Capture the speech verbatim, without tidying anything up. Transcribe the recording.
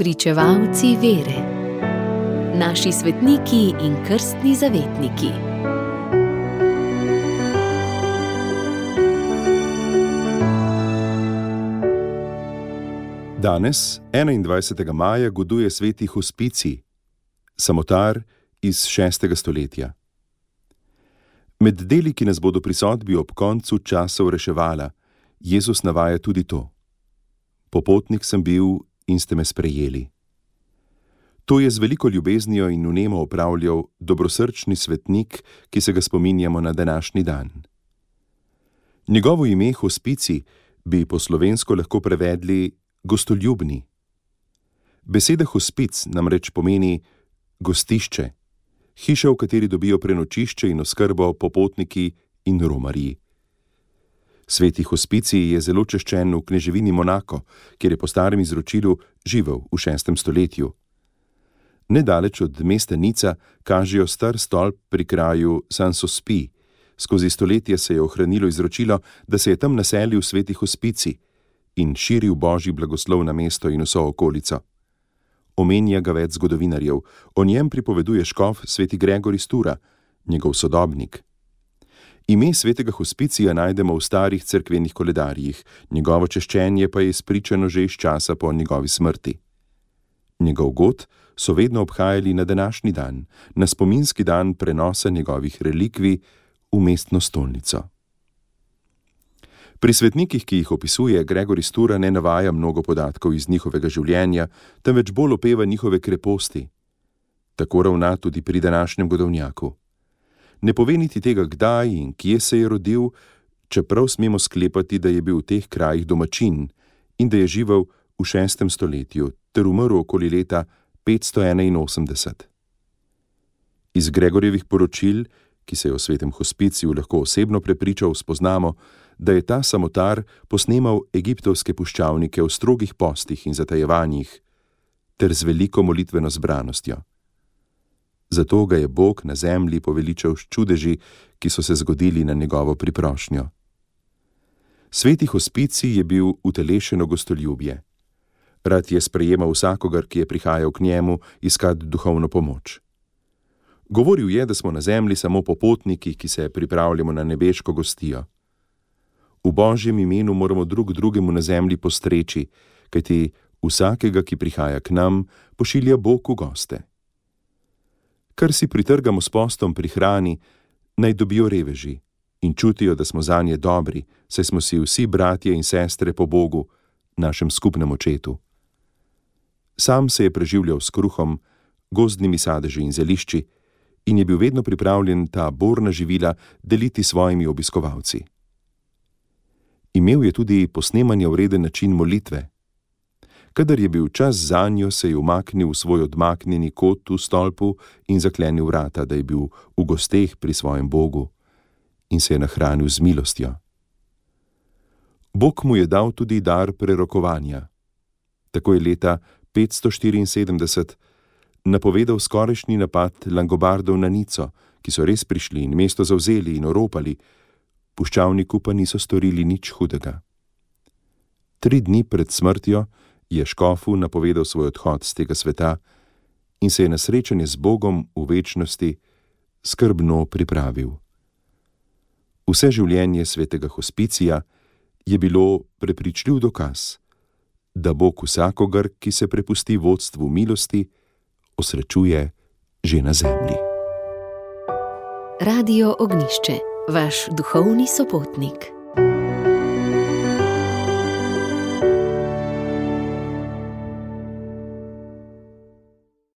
Spričevalci vere. Naši svetniki in krstni zavetniki. Danes, enaindvajsetega maja, goduje sveti Hospicij, samotar iz šestega stoletja. Med deli, ki nas bodo pri sodbi ob koncu časov reševala, Jezus navaja tudi to: Popotnik sem bil in ste me sprejeli. To je z veliko ljubeznijo in vnemo opravljal dobrosrčni svetnik, ki se ga spominjamo na današnji dan. Njegovo ime Hospicij bi po slovensko lahko prevedli gostoljubni. Beseda hospic namreč pomeni gostišče, hiša, v kateri dobijo prenočišče in oskrbo popotniki in romarji. Sveti Hospicij je zelo češčen v kneževini Monako, kjer je po starem izročilu živel v šestem stoletju. Nedaleč od mesta Nica kažejo star stolp pri kraju Saint-Sospis. Skozi stoletja se je ohranilo izročilo, da se je tam naselil sveti Hospicij in širil božji blagoslov na mesto in vso okolico. Omenja ga več zgodovinarjev, o njem pripoveduje škof sveti Gregor iz Tura, njegov sodobnik. Ime svetega Hospicija najdemo v starih cerkvenih koledarjih, njegovo češčenje pa je izpričano že iz časa po njegovi smrti. Njegov god so vedno obhajali na današnji dan, na spominski dan prenosa njegovih relikvij v mestno stolnico. Pri svetnikih, ki jih opisuje, Gregor iz Tura ne navaja mnogo podatkov iz njihovega življenja, temveč bolj opeva njihove kreposti. Tako ravna tudi pri današnjem godovnjaku. Ne pove niti tega, kdaj in kje se je rodil, čeprav smemo sklepati, da je bil v teh krajih domačin in da je živel v šestem stoletju ter umrl okoli leta petsto enainosemdeset. Iz Gregorjevih poročil, ki se je o svetem Hospiciju lahko osebno prepričal, spoznamo, da je ta samotar posnemal egiptovske puščavnike v strogih postih in zatajevanjih ter z veliko molitveno zbranostjo. Zato ga je Bog na zemlji poveličal s čudeži, ki so se zgodili na njegovo priprošnjo. Sveti Hospicij je bil utelešeno gostoljubje. Rad je sprejemal vsakogar, ki je prihajal k njemu iskat duhovno pomoč. Govoril je, da smo na zemlji samo popotniki, ki se pripravljamo na nebeško gostijo. V Božjem imenu moramo drug drugemu na zemlji postreči, kajti vsakega, ki prihaja k nam, pošilja Bog v goste. Kar si pritrgamo s postom pri hrani, naj dobijo reveži in čutijo, da smo zanje dobri, saj smo si vsi bratje in sestre po Bogu, našem skupnem očetu. Sam se je preživljal s kruhom, gozdnimi sadeži in zelišči in je bil vedno pripravljen ta borna živila deliti s svojimi obiskovalci. Imel je tudi posnemanja vreden način molitve. Kadar je bil čas zanjo, se je umaknil v svoj odmaknjeni kot v stolpu in zaklenil vrata, da je bil v gosteh pri svojem Bogu in se je nahranil z milostjo. Bog mu je dal tudi dar prerokovanja. Tako je leta petsto štiriinsedemdeset napovedal skorajšnji napad Langobardov na Nico, ki so res prišli in mesto zavzeli in oropali, puščavniku pa niso storili nič hudega. Tri dni pred smrtjo je škofu napovedal svoj odhod z tega sveta in se je na srečanje z Bogom v večnosti skrbno pripravil. Vse življenje svetega Hospicija je bilo prepričljiv dokaz, da Bog vsakogar, ki se prepusti vodstvu milosti, osrečuje že na zemlji. Radio Ognjišče, vaš duhovni sopotnik.